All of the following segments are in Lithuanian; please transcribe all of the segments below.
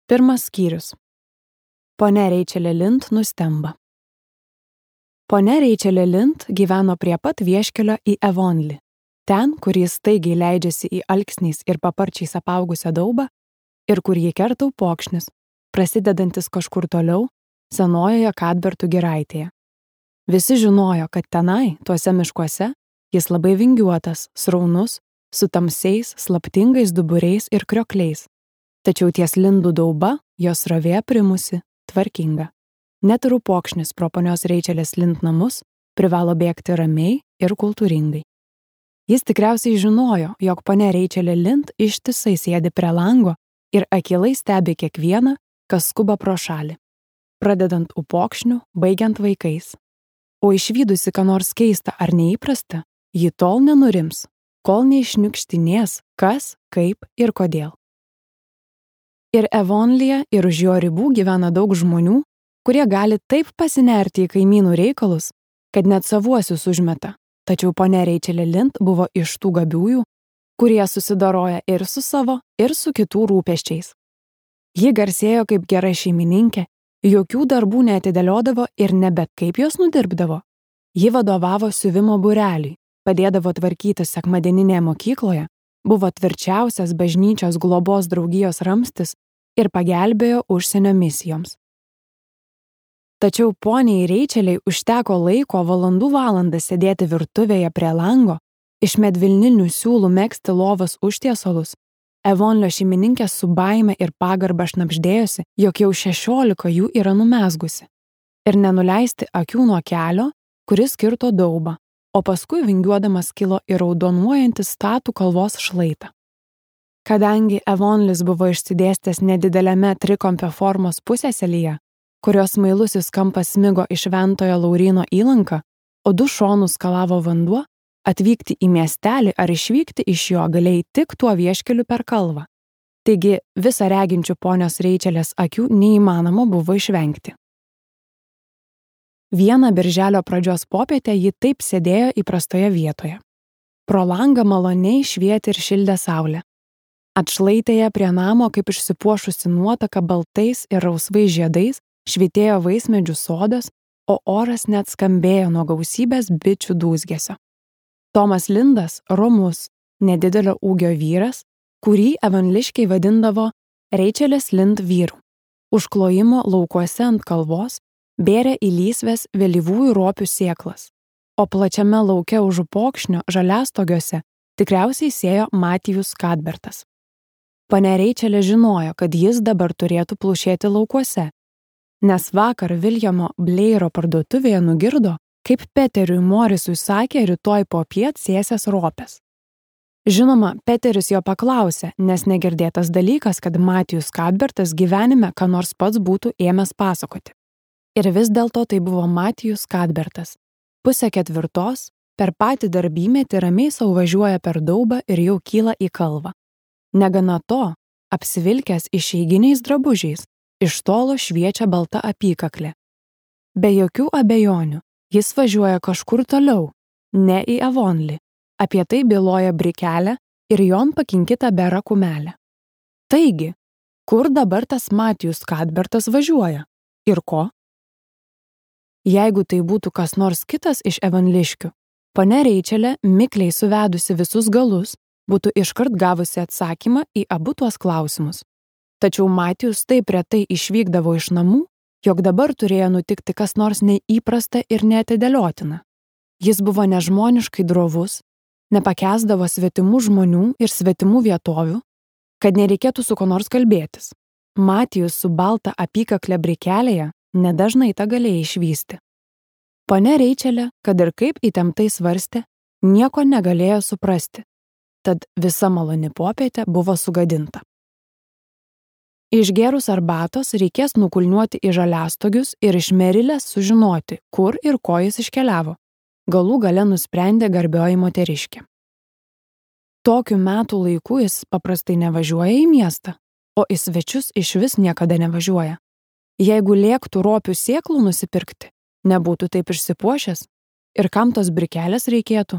Pirmas skyrius. Ponia Reičelė Lind nustemba. Ponia Reičelė Lind gyveno prie pat vieškelio į Avonlį. Ten, kur jis staigiai leidžiasi į alksniais ir paparčiais apaugusią daubą ir kur jį kerta upokšnis, prasidedantis kažkur toliau, senojoje Kadbertų giraitėje. Visi žinojo, kad tenai, tuose miškuose, jis labai vingiuotas, sraunus, su tamsiais, slaptingais duburiais ir kriokliais. Tačiau ties Lindų dauba jos srovė primusi, tvarkinga. Net ir upokšnis pro ponios Reičelės Lind namus privalo bėgti ramiai ir kultūringai. Jis tikriausiai žinojo, jog ponia Reičelė Lind ištisai sėdi prie lango ir akylai stebi kiekvieną, kas skuba pro šalį, pradedant upokšniu, baigiant vaikais. O išvydusi ką nors keista ar neįprasta, ji tol nenurims, kol neišniukštinės, kas, kaip ir kodėl. Ir Avonlyje, ir už jo ribų gyvena daug žmonių, kurie gali taip pasinerti į kaimynų reikalus, kad net savuosius užmeta. Tačiau ponia Reičelė Lind buvo iš tų gabiųjų, kurie susidoroja ir su savo, ir su kitų rūpesčiais. Ji garsėjo kaip gera šeimininkė, jokių darbų neatidėliodavo ir nebet kaip jos nudirbdavo. Ji vadovavo siuvimo būreliui, padėdavo tvarkytis sekmadieninėje mokykloje, buvo tvirčiausias bažnyčios globos draugijos ramstis ir pagelbėjo užsienio misijoms. Tačiau poniai Reičeliai užteko laiko valandų valandas sėdėti virtuvėje prie lango, iš medvilninių siūlų megzti lovos užtiesalus. Avonlio šeimininkė su baime ir pagarba šnabždėjosi, jog jau 16 jų yra numezgusi, ir nenuleisti akių nuo kelio, kuris kirto daubą, o paskui vingiuodamas kilo į raudonuojantį statų kalvos šlaitą. Kadangi Avonlis buvo išsidėstęs nedideliame trikampio formos pusėselyje, kurios smailusis kampas smigo iš Šventojo Lauryno įlanką, o du šonus skalavo vanduo, atvykti į miestelį ar išvykti iš jo galėjai tik tuo vieškeliu per kalvą. Taigi visą reginčių ponios Reičelės akių neįmanoma buvo išvengti. Vieną birželio pradžios popietę ji taip sėdėjo įprastoje vietoje. Pro langą maloniai švietė ir šildė saulė. Atšlaitėje prie namo, kaip išsipuošusi nuotaka baltais ir rausvais žiedais, švytėjo vaismedžių sodas, o oras net skambėjo nuo gausybės bičių dūzgesio. Tomas Lindas, romus, nedidelio ūgio vyras, kurį avonliškiai vadindavo Reičelės Lind vyru. Užklojimo laukuose ant kalvos bėrė į lysves vėlyvųjų ropių sėklas, o plačiame lauke už upokšnio žaliastogiuose tikriausiai sėjo Matijus Kadbertas. Ponia Reičelė žinojo, kad jis dabar turėtų plušėti laukuose, nes vakar Viljamo Bleiro parduotuvėje nugirdo, kaip Peteriui Morisui sakė rytoj popiet sėsias ropės. Žinoma, Peteris jo paklausė, nes negirdėtas dalykas, kad Matijus Kadbertas gyvenime ką nors pats būtų ėmęs pasakoti. Ir vis dėlto tai buvo Matijus Kadbertas. 3:30 per patį darbymetį ramiai sau važiuoja per daubą ir jau kyla į kalvą. Negana to, apsivilkęs išeiginiais drabužiais, iš tolo šviečia balta apykaklė. Be jokių abejonių, jis važiuoja kažkur toliau, ne į Avonlį. Apie tai byloja brikelė ir jon pakinkita bera kumelė. Taigi, kur dabar tas Matijus Kadbertas važiuoja? Ir ko? Jeigu tai būtų kas nors kitas iš avonliškių, ponia Reičelė, mikliai suvedusi visus galus, būtų iškart gavusi atsakymą į abu tuos klausimus. Tačiau Matijus taip retai išvykdavo iš namų, jog dabar turėjo nutikti kas nors neįprasta ir neatidėliotina. Jis buvo nežmoniškai drovus, nepakęsdavo svetimų žmonių ir svetimų vietovių, kad nereikėtų su ko nors kalbėtis. Matijus su balta apykakle brikelėje nedažnai tą galėjo išvysti. Ponia Reičelė, kad ir kaip įtemptai svarstė, nieko negalėjo suprasti, tad visa maloni popietė buvo sugadinta. Išgėrus arbatos reikės nukulniuoti į žaliastogius ir iš Merilės sužinoti, kur ir ko jis iškeliavo. Galų gale nusprendė garbioji moteriškė. Tokiu metų laiku jis paprastai nevažiuoja į miestą, o į svečius išvis niekada nevažiuoja. Jeigu lėktų ropių sėklų nusipirkti, nebūtų taip išsipuošęs. Ir kam tos brikelės reikėtų?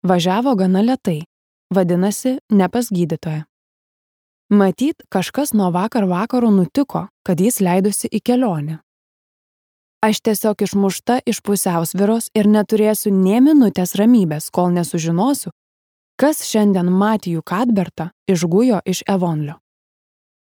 Važiavo gana lėtai, vadinasi, ne pas gydytoją. Matyt, kažkas nuo vakar vakaro nutiko, kad jis leidosi į kelionę. Aš tiesiog išmušta iš pusiausvyros ir neturėsiu nė minutės ramybės, kol nesužinosiu, kas šiandien Matijų Kadbertą išgujo iš Evonlio.